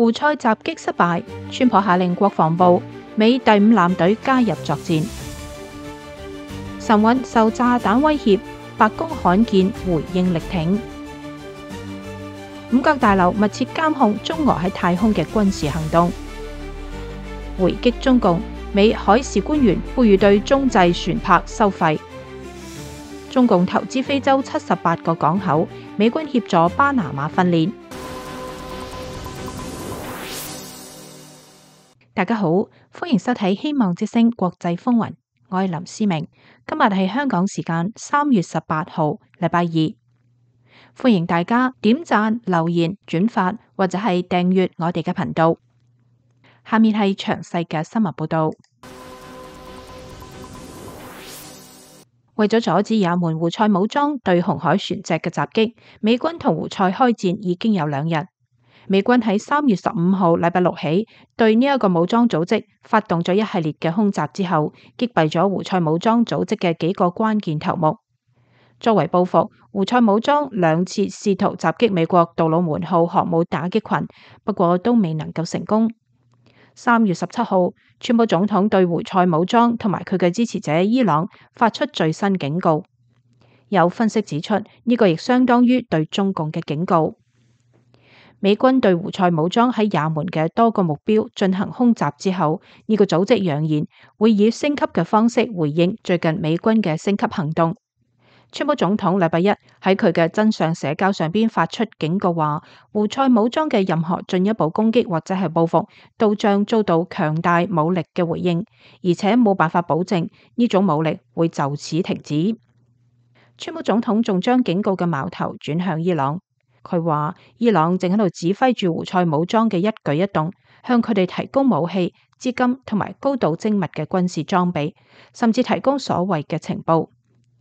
胡塞襲擊失敗，川普下令國防部美第5艦隊加入作戰。神韻受炸彈威脅，白宮罕見回應力挺。五角大樓密切監控中俄喺太空嘅軍事行動。回擊中共，美海事官員呼籲對中製船舶收費。中共投資非洲78個港口，美軍協助巴拿馬訓練。大家好，歡迎收睇《希望之聲國際風雲》，我係林思明。今日係香港時間3月18號，禮拜二。歡迎大家點讚、留言、轉發或者係訂閱我哋嘅頻道。下面係詳細嘅新聞報道。為咗阻止也門胡塞武裝對紅海船隻嘅襲擊，美軍同胡塞開戰已經有2日。美軍喺3月15號禮拜六起對呢一個武裝組織發動咗一系列嘅空襲之後，擊斃咗胡塞武裝組織嘅幾個關鍵頭目。作為報復，胡塞武裝2次試圖襲擊美國杜魯門號航母打擊群，不過都未能夠成功。3月17號，川普總統對胡塞武裝同埋佢嘅支持者伊朗發出最新警告。有分析指出，呢個亦相當於對中共嘅警告。美軍對胡塞武裝喺也門嘅多個目標進行空襲之後，呢個組織揚言會以升級嘅方式回應最近美軍嘅升級行動。川普總統禮拜一喺佢嘅真相社交上邊發出警告，話胡塞武裝嘅任何進一步攻擊或者係報復都將遭到強大武力嘅回應，而且冇辦法保證呢種武力會就此停止。川普總統仲將警告嘅矛頭轉向伊朗。佢話伊朗正喺度指揮住胡塞武裝嘅一舉一動，向佢哋提供武器、資金同埋高度精密嘅軍事裝備，甚至提供所謂嘅情報。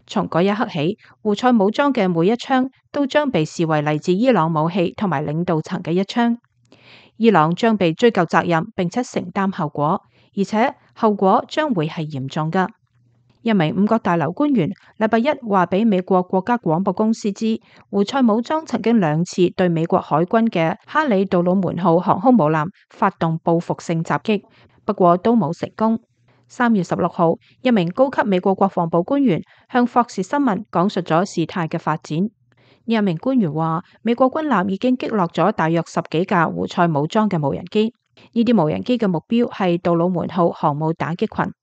從嗰一刻起，胡塞武裝嘅每一槍都將被視為嚟自伊朗武器同埋領導層嘅一槍。伊朗將被追究責任，並且承擔後果，而且後果將會係嚴重㗎。一名五角大樓官員禮拜一話俾美國國家廣播公司知，胡塞武裝曾經2次對美國海軍嘅哈里杜魯門號航空母艦發動報復性襲擊，不過都冇成功。3月16號，一名高級美國國防部官員向霍士新聞講述咗事態嘅發展。呢一名官員話，美國軍艦已經擊落咗大約10幾架胡塞武裝嘅無人機，呢啲無人機嘅目標係杜魯門號航母打擊群。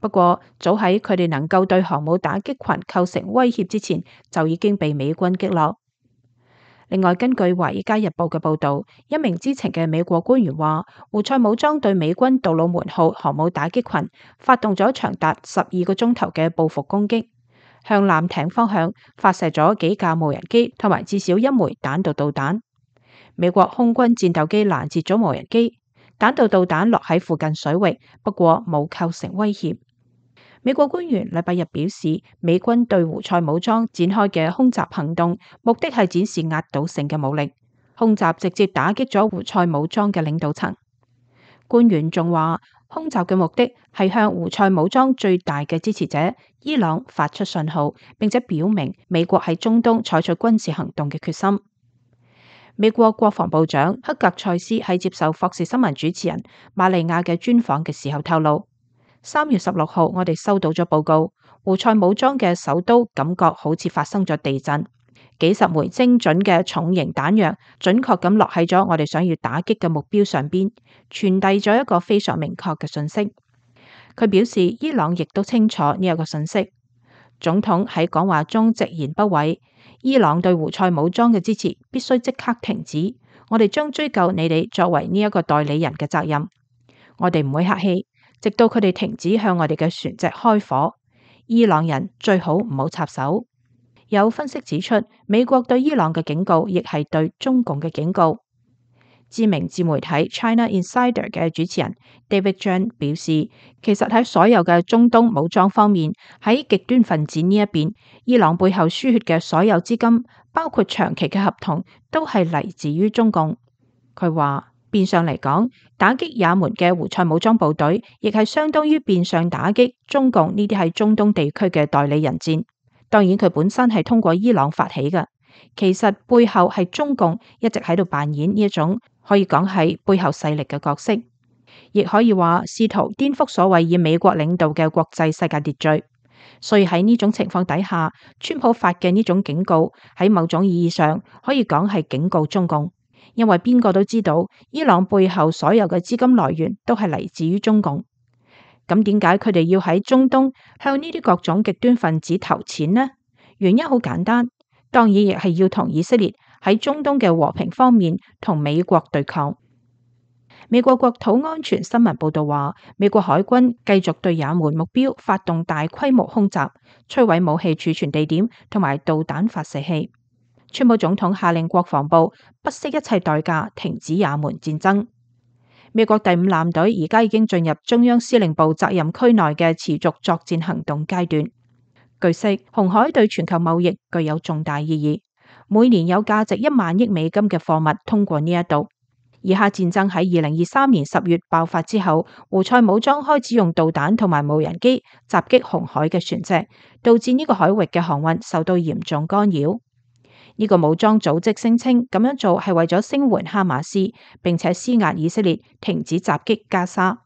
不過，早喺佢哋能夠對航母打擊群構成威脅之前，就已經被美軍擊落。另外，根據《華爾街日報》嘅報導，一名知情嘅美國官員話，胡塞武裝對美軍杜魯門號航母打擊群發動咗長達12個鐘頭嘅報復攻擊，向艦艇方向發射咗幾架無人機同埋至少1枚彈道導彈。美國空軍戰鬥機攔截咗無人機，彈道導彈落喺附近水域，不過冇構成威脅。美國官員禮拜日表示，美軍對胡塞武裝展開嘅空襲行動，目的係展示壓倒性嘅武力。空襲直接打擊咗胡塞武裝嘅領導層。官員仲話，空襲嘅目的係向胡塞武裝最大嘅支持者伊朗發出信號，並且表明美國喺中東採取軍事行動嘅決心。美國國防部長克格塞斯喺接受霍士新聞主持人瑪利亞嘅專訪嘅時候透露，3月16號，我哋收到咗報告，胡塞武裝嘅首都感覺好似發生咗地震，幾十枚精準嘅重型彈藥準確咁落喺咗我哋想要打擊嘅目標上邊，傳遞咗一個非常明確嘅信息。佢表示，伊朗亦都清楚呢一個信息。總統喺講話中直言不諱，伊朗對胡塞武裝嘅支持必須即刻停止，我哋將追究你哋作為呢一個代理人嘅責任，我哋唔會客氣。直到佢哋停止向我哋嘅船隻開火，伊朗人最好唔好插手。有分析指出，美國對伊朗嘅警告亦係對中共嘅警告。知名自媒體 China Insider 嘅主持人 David Chen 表示，其實喺所有嘅中東武裝方面，喺極端分子呢一邊，伊朗背後輸血嘅所有資金，包括長期嘅合同，都係嚟自於中共。佢話，變相嚟講，打擊也門嘅胡塞武裝部隊，亦係相當於變相打擊中共呢啲喺中東地區嘅代理人戰。當然，佢本身係通過伊朗發起嘅，其實背後係中共一直喺度扮演呢一種可以講係背後勢力嘅角色，亦可以話試圖顛覆所謂以美國領導嘅國際世界秩序。所以喺呢種情況底下，川普發嘅呢種警告喺某種意義上可以講係警告中共，因為邊個都知道伊朗背後所有嘅資金來源都係嚟自於中共。咁點解佢哋要喺中東向呢啲各種極端分子投錢呢？原因好簡單，當然亦係要同以色列喺中東嘅和平方面同美國對抗。美國國土安全新聞報道話，美國海軍繼續對也門目標發動大規模空襲，摧毀武器儲存地點同埋導彈發射器。川普總統下令國防部不惜一切代價停止也門戰爭。美國第5艦隊而家已經進入中央司令部責任區內嘅持續作戰行動階段。據悉，紅海對全球貿易具有重大意義，每年有價值1萬億美金嘅貨物通過呢一度。以哈戰爭喺2023年10月爆發之後，胡塞武裝開始用導彈同埋無人機襲擊紅海嘅船隻，導致呢個海域嘅航運受到嚴重干擾。呢個武裝組織聲稱咁樣做係為咗聲援哈馬斯，並且施壓以色列停止襲擊加沙。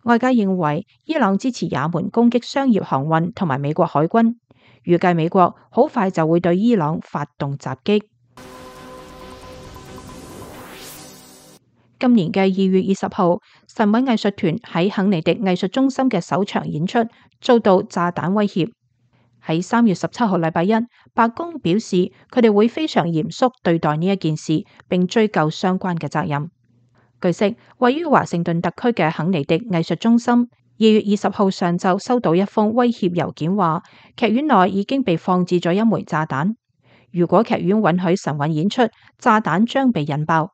外界認為伊朗支持也門攻擊商業航運同埋美國海軍，預計美國好快就會對伊朗發動襲擊。今年嘅2月20號，神韻藝術團喺肯尼迪藝術中心嘅首場演出遭到炸彈威脅。喺3月17號禮拜一，白宮表示佢哋會非常嚴肅對待呢一件事，並追究相關嘅責任。據悉，位於華盛頓特區嘅肯尼迪藝術中心2月20號上晝收到一封威脅郵件，話劇院內已經被放置咗一枚炸彈，如果劇院允許神韻演出，炸彈將被引爆。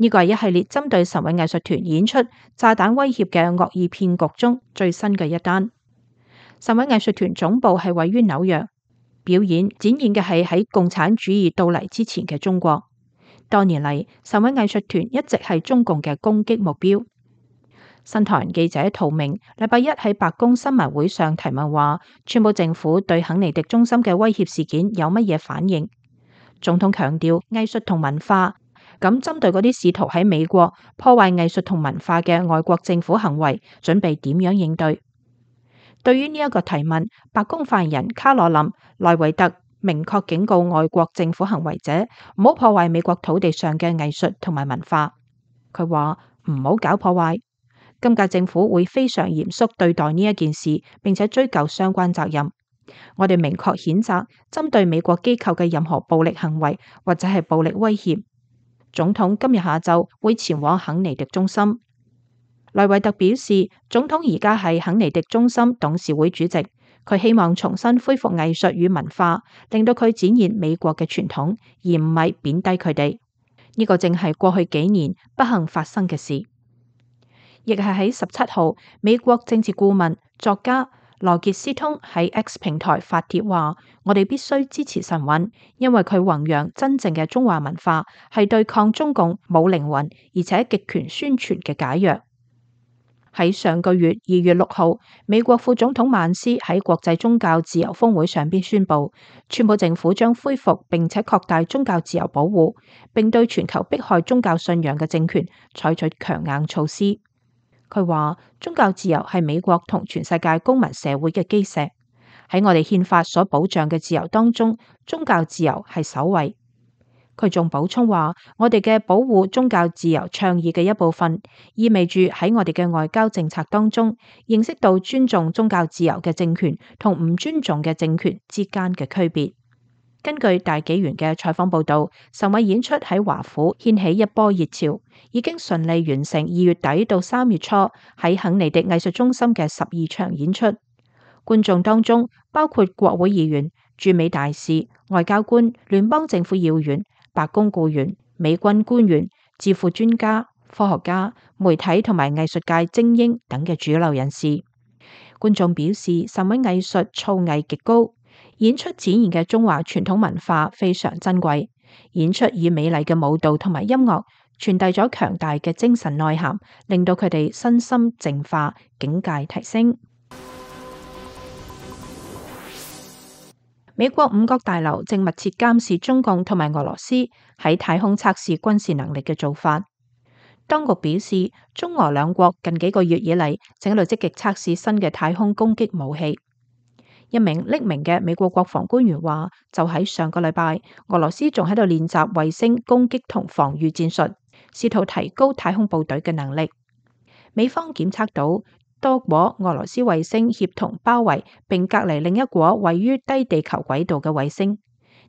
呢個係一系列針對神韻藝術團演出炸彈威脅嘅惡意騙局中最新嘅一單。神韻藝術團總部係位於紐約，表演展現嘅係喺共產主義到嚟之前嘅中國。多年嚟，神韻藝術團一直係中共嘅攻擊目標。新唐人記者陶明禮拜一喺白宮新聞會上提問話，川普政府對肯尼迪中心嘅威脅事件有乜嘢反應？總統強調藝術同文化，咁針對嗰啲試圖喺美國破壞藝術同文化嘅外國政府行為，準備點樣應對？對於呢一個提問，白宮發言人卡羅琳·萊維特明確警告外國政府行為者唔好破壞美國土地上嘅藝術同埋文化。佢話唔好搞破壞。今屆政府會非常嚴肅對待呢一件事，並且追究相關責任。我哋明確譴責針對美國機構嘅任何暴力行為或者係暴力威脅。總統今日下晝會前往肯尼迪中心。萊維特表示，總統而家係肯尼迪中心董事會主席，佢希望重新恢復藝術與文化，令到佢展現美國嘅傳統，而唔係貶低佢哋。呢個正係過去幾年不幸發生嘅事。亦係喺17號，美國政治顧問作家羅傑斯通喺 X 平台發帖話：我哋必須支持神韻，因為佢弘揚真正嘅中華文化，係對抗中共冇靈魂而且極權宣傳嘅解藥。喺上個月2月6號，美國副總統曼斯喺國際宗教自由峰會上邊宣布，川普政府將恢復並且擴大宗教自由保護，並對全球迫害宗教信仰嘅政權採取強硬措施。佢話宗教自由係美國同全世界公民社會嘅基石，喺我哋憲法所保障嘅自由當中，宗教自由係首位。佢仲補充話，我哋嘅保護宗教自由倡議嘅一部分，意味住喺我哋嘅外交政策當中，認識到尊重宗教自由嘅政權同唔尊重嘅政權之間嘅區別。根據大紀元嘅採訪報道，神韻演出喺華府掀起一波熱潮，已經順利完成2月底到3月初喺肯尼迪藝術中心嘅12場演出。觀眾當中包括國會議員、駐美大使、外交官、聯邦政府要員、白宮僱員、美軍官員、智庫專家、科學家、媒體同埋藝術界精英等嘅主流人士。觀眾表示，神韻藝術造詣極高。演出展現嘅中華傳統文化非常珍貴，演出以美麗嘅舞蹈同埋音樂傳遞咗強大嘅精神內涵，令到佢哋身心淨化，境界提升。美國五角大樓正密切監視中共同埋俄羅斯喺太空測試軍事能力嘅做法。當局表示，中俄兩國近幾個月以嚟正喺度積極測試新嘅太空攻擊武器。一名匿名嘅美國國防官員話，就喺上個禮拜，俄羅斯仲喺度練習衛星攻擊同防禦戰術，試圖提高太空部隊嘅能力。美方檢測到多顆俄羅斯衛星協同包圍並隔離另一顆位於低地球軌道嘅衛星，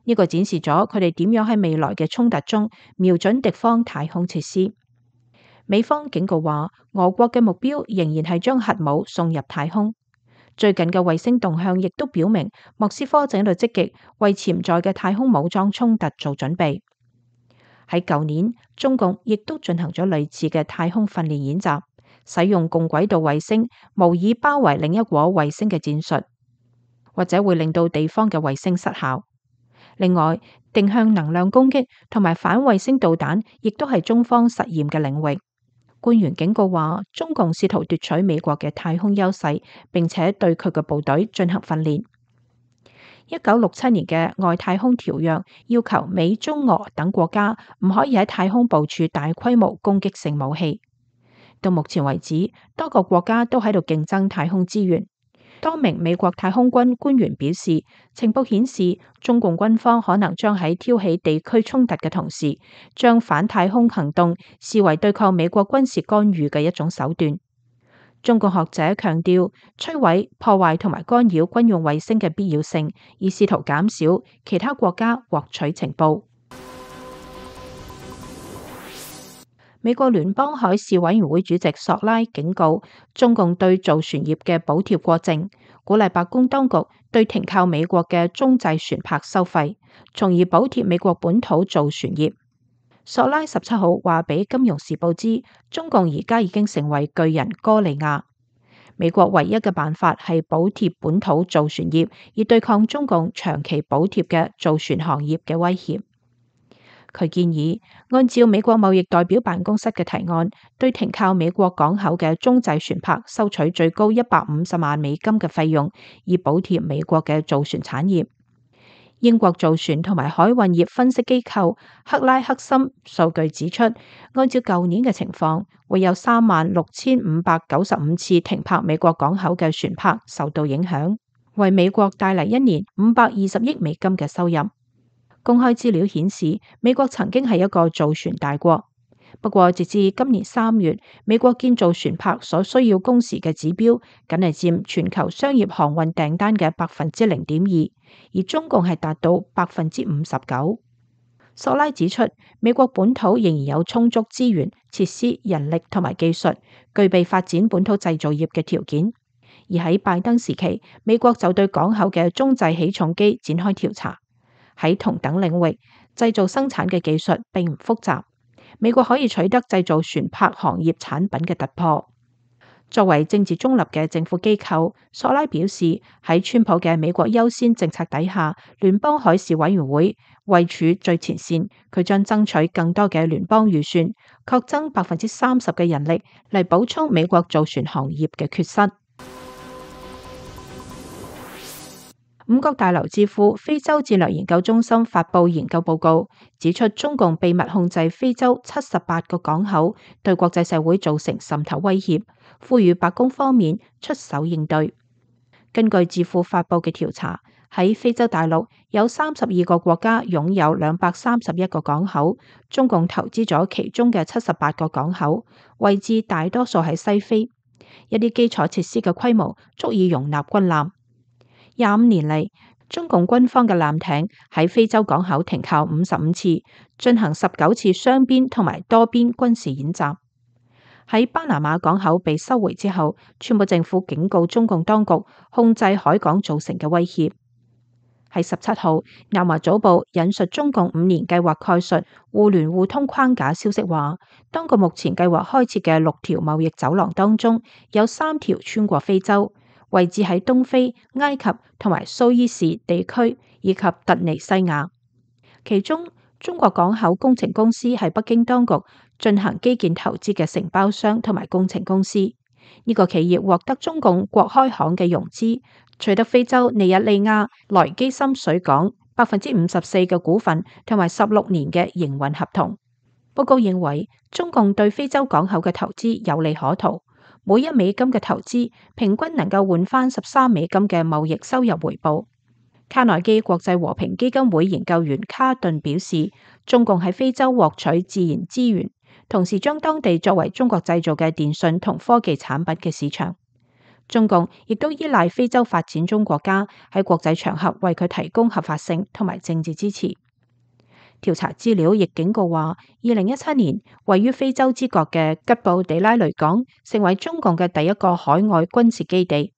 呢個展示咗佢哋點樣喺未來嘅衝突中瞄準敵方太空設施。美方警告話，俄國嘅目標仍然係將核武送入太空。最近嘅衛星動向亦都表明，莫斯科正喺度積極為潛在嘅太空武裝衝突做準備。喺舊年，中共亦都進行咗類似嘅太空訓練演習，使用共軌道衛星模擬包圍另一顆衛星嘅戰術，或者會令到地方嘅衛星失效。另外，定向能量攻擊同埋反衛星導彈亦都係中方實驗嘅領域。官員警告話，中共試圖奪取美國嘅太空優勢，並且對佢嘅部隊進行訓練。1967年嘅外太空條約要求美、中、俄等國家唔可以喺太空部署大規模攻擊性武器。到目前為止，多個國家都喺度競爭太空資源。多名美國太空軍官員表示，情報顯示中共軍方可能將喺挑起地區衝突嘅同時，將反太空行動視為對抗美國軍事干預嘅一種手段。中共學者強調，摧毀、破壞同埋干擾軍用衛星嘅必要性，以試圖減少其他國家獲取情報。美國聯邦海事委員會主席索拉警告，中共對造船業嘅補貼過剩，鼓勵白宮當局對停靠美國嘅中製船舶收費，從而補貼美國本土造船業。索拉17號話俾《金融時報》知，中共而家已經成為巨人哥利亞，美國唯一嘅辦法係補貼本土造船業，以對抗中共長期補貼嘅造船行業嘅威脅。佢建議按照美國貿易代表辦公室嘅提案，對停靠美國港口嘅中製船舶收取最高150萬美金嘅費用，以補貼美國嘅造船產業。英國造船同埋海運業分析機構克拉克森數據指出，按照舊年嘅情況，會有36,595次停泊美國港口嘅船舶受到影響，為美國帶嚟一年520億美金嘅收入。公開資料顯示，美國曾經係一個造船大國，不過直至今年3月，美國建造船舶所需要工時嘅指標，僅係佔全球商業航運訂單嘅0.2%，而中共係達到59%。索拉指出，美國本土仍然有充足資源、設施、人力同埋技術，具備發展本土製造業嘅條件。而喺拜登時期，美國就對港口嘅中製起重機展開調查。喺同等領域，製造生產嘅技術並唔複雜，美國可以取得製造船舶行業產品嘅突破。作為政治中立嘅政府機構，索拉表示，喺川普嘅美國優先政策底下，聯邦海事委員會位處最前線，佢將爭取更多嘅聯邦預算，擴增30%嘅人力嚟補充美國造船行業嘅缺失。五角大樓智庫非洲戰略研究中心發佈研究報告，指出中共秘密控制非洲78個港口，對國際社會造成滲透威脅，呼籲白宮方面出手應對。根據智庫發佈嘅調查，喺非洲大陸有32個國家擁有231個港口，中共投資咗其中嘅78個港口，位置大多數喺西非，一啲基礎設施嘅規模足以容納軍艦。25年嚟，中共軍方嘅艦艇喺非洲港口停靠55次，進行19次雙邊同埋多邊軍事演習。喺巴拿馬港口被收回之後，川普政府警告中共當局控制海港造成嘅威脅。喺17號，南華早報引述中共5年計劃概述互聯互通框架消息話，當局目前計劃開設嘅6條貿易走廊當中，有3條穿過非洲，位置喺東非、埃及同埋蘇伊士地區以及突尼西亞。其中，中國港口工程公司係北京當局進行基建投資嘅承包商同埋工程公司。呢個企業獲得中共國開行嘅融資，取得非洲尼日利亞萊基森水港54%嘅股份同埋16年嘅營運合同。報告認為，中共對非洲港口嘅投資有利可圖，每$1嘅投資平均能夠換返$13嘅貿易收入回報。卡內基國際和平基金會研究員卡頓表示，中共喺非洲獲取自然資源，同時將當地作為中國製造嘅電信同科技產品嘅市場。中共亦都依賴非洲發展中國家喺國際場合為佢提供合法性同埋政治支持。調查資料亦警告話，2017年位於非洲之角嘅吉布地拉雷港成為中共嘅第一個海外軍事基地。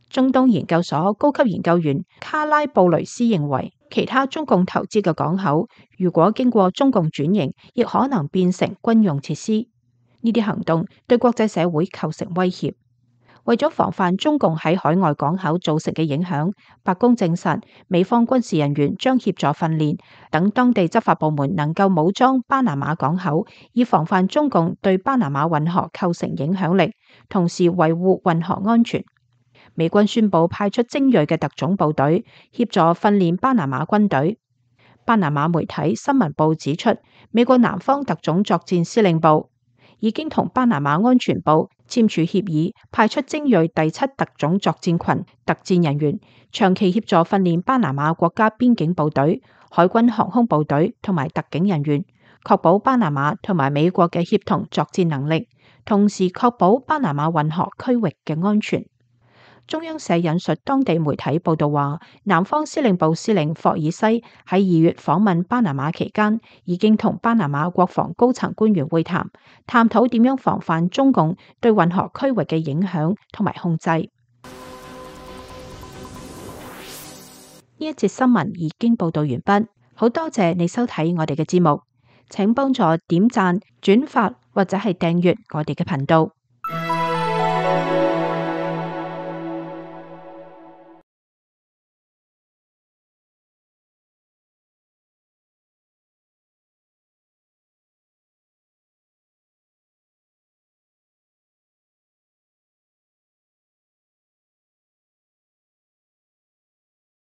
中東研究所高級研究員卡拉布雷斯認為，其他中共投資嘅港口如果經過中共轉型，亦可能變成軍用設施。呢啲行動對國際社會構成威脅。為咗防範中共喺海外港口造成嘅影響，白宮證實美方軍事人員將協助訓練，等當地執法部門能夠武裝巴拿馬港口，以防範中共對巴拿馬運河構成影響力，同時維護運河安全。美軍宣布派出精銳嘅特種部隊協助訓練巴拿馬軍隊。巴拿馬媒體新聞報指出，美國南方特種作戰司令部已經同巴拿馬安全部簽署協議，派出精銳第7特種作戰群特戰人員，長期協助訓練巴拿馬國家邊境部隊、海軍航空部隊同埋特警人員，確保巴拿馬同埋美國嘅協同作戰能力，同時確保巴拿馬運河區域嘅安全。中央社引述當地媒體報道話，南方司令部司令霍爾西喺2月訪問巴拿馬期間，已經同巴拿馬國防高層官員會談，探討點樣防範中共對運河區域嘅影響同埋控制。呢一節新聞已經報道完畢，好多謝你收睇我哋嘅節目，請幫助點讚、轉發或者係訂閱我哋嘅頻道。